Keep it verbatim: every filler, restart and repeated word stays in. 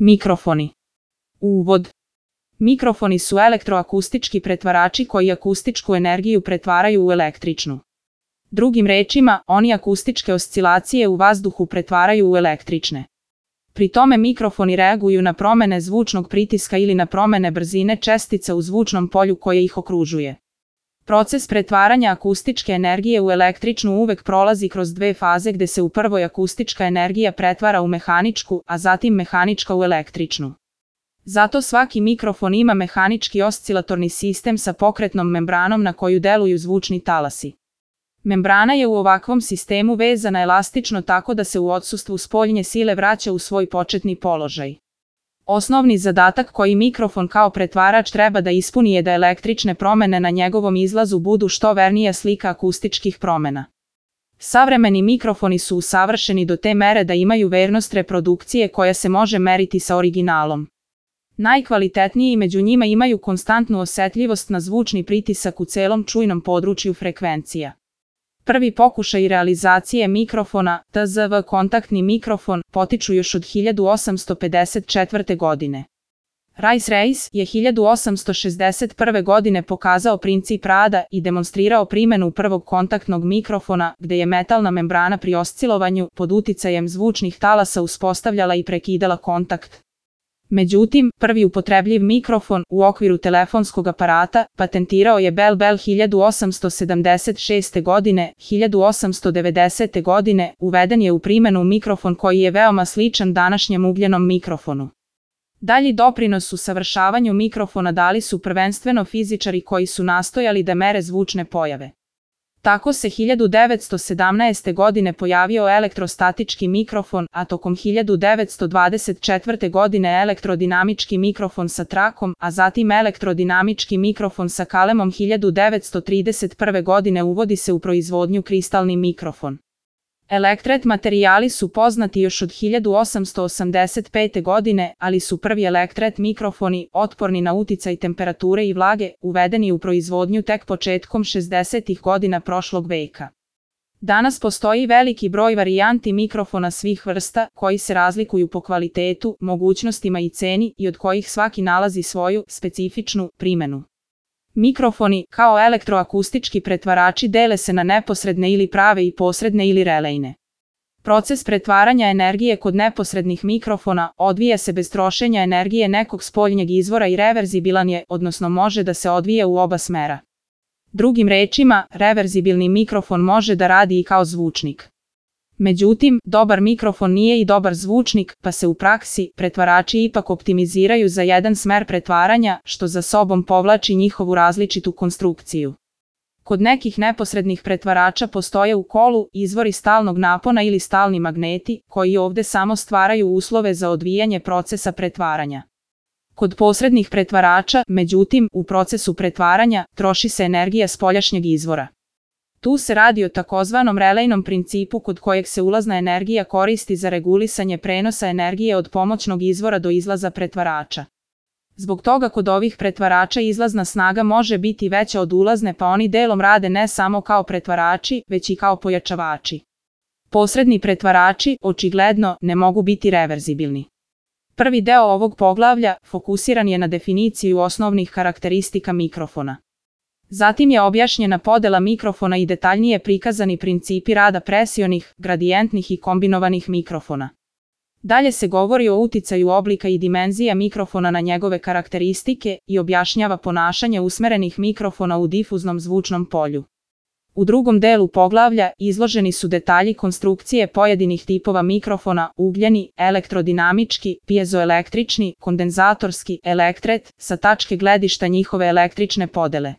Mikrofoni. Uvod. Mikrofoni su elektroakustički pretvarači koji akustičku energiju pretvaraju u električnu. Drugim rečima, oni akustičke oscilacije u vazduhu pretvaraju u električne. Pri tome mikrofoni reaguju na promene zvučnog pritiska ili na promene brzine čestica u zvučnom polju koje ih okružuje. Proces pretvaranja akustičke energije u električnu uvek prolazi kroz dve faze gde se u prvoj akustička energija pretvara u mehaničku, a zatim mehanička u električnu. Zato svaki mikrofon ima mehanički oscilatorni sistem sa pokretnom membranom na koju deluju zvučni talasi. Membrana je u ovakvom sistemu vezana elastično tako da se u odsustvu spoljne sile vraća u svoj početni položaj. Osnovni zadatak koji mikrofon kao pretvarač treba da ispuni je da električne promene na njegovom izlazu budu što vernija slika akustičkih promena. Savremeni mikrofoni su usavršeni do te mere da imaju vernost reprodukcije koja se može meriti sa originalom. Najkvalitetniji među njima imaju konstantnu osetljivost na zvučni pritisak u celom čujnom području frekvencija. Prvi pokušaj realizacije mikrofona, T Z V kontaktni mikrofon, potiču još od hiljadu osamsto pedeset četvrte. godine. Rice-Reis je hiljadu osamsto šezdeset prve. godine pokazao princip rada i demonstrirao primenu prvog kontaktnog mikrofona, gde je metalna membrana pri oscilovanju pod uticajem zvučnih talasa uspostavljala i prekidala kontakt. Međutim, prvi upotrebljiv mikrofon u okviru telefonskog aparata patentirao je Bell Bell hiljadu osamsto sedamdeset šeste. godine. hiljadu osamsto devedesete. godine uveden je u primenu mikrofon koji je veoma sličan današnjem ugljenom mikrofonu. Dalji doprinos u savršavanju mikrofona dali su prvenstveno fizičari koji su nastojali da mere zvučne pojave. Tako se hiljadu devetsto sedamnaeste. godine pojavio elektrostatički mikrofon, a tokom hiljadu devetsto dvadeset četvrte. godine elektrodinamički mikrofon sa trakom, a zatim elektrodinamički mikrofon sa kalemom. hiljadu devetsto trideset prve. godine uvodi se u proizvodnju kristalni mikrofon. Elektret materijali su poznati još od hiljadu osamsto osamdeset pete. godine, ali su prvi elektret mikrofoni, otporni na uticaj temperature i vlage, uvedeni u proizvodnju tek početkom šezdesetih. godina prošlog veka. Danas postoji veliki broj varijanti mikrofona svih vrsta, koji se razlikuju po kvalitetu, mogućnostima i ceni i od kojih svaki nalazi svoju specifičnu primenu. Mikrofoni, kao elektroakustički pretvarači, dele se na neposredne ili prave i posredne ili relejne. Proces pretvaranja energije kod neposrednih mikrofona odvija se bez trošenja energije nekog spoljnjeg izvora i reverzibilan je, odnosno može da se odvija u oba smera. Drugim rečima, reverzibilni mikrofon može da radi i kao zvučnik. Međutim, dobar mikrofon nije i dobar zvučnik, pa se u praksi pretvarači ipak optimiziraju za jedan smer pretvaranja, što za sobom povlači njihovu različitu konstrukciju. Kod nekih neposrednih pretvarača postoje u kolu izvori stalnog napona ili stalni magneti, koji ovde samo stvaraju uslove za odvijanje procesa pretvaranja. Kod posrednih pretvarača, međutim, u procesu pretvaranja troši se energija spoljašnjeg izvora. Tu se radi o takozvanom relejnom principu kod kojeg se ulazna energija koristi za regulisanje prenosa energije od pomoćnog izvora do izlaza pretvarača. Zbog toga kod ovih pretvarača izlazna snaga može biti veća od ulazne, pa oni delom rade ne samo kao pretvarači, već i kao pojačavači. Posredni pretvarači, očigledno, ne mogu biti reverzibilni. Prvi deo ovog poglavlja fokusiran je na definiciju osnovnih karakteristika mikrofona. Zatim je objašnjena podela mikrofona i detaljnije prikazani principi rada presionih, gradijentnih i kombinovanih mikrofona. Dalje se govori o uticaju oblika i dimenzija mikrofona na njegove karakteristike i objašnjava ponašanje usmerenih mikrofona u difuznom zvučnom polju. U drugom delu poglavlja izloženi su detalji konstrukcije pojedinih tipova mikrofona, ugljeni, elektrodinamički, piezoelektrični, kondenzatorski, elektret, sa tačke gledišta njihove električne podele.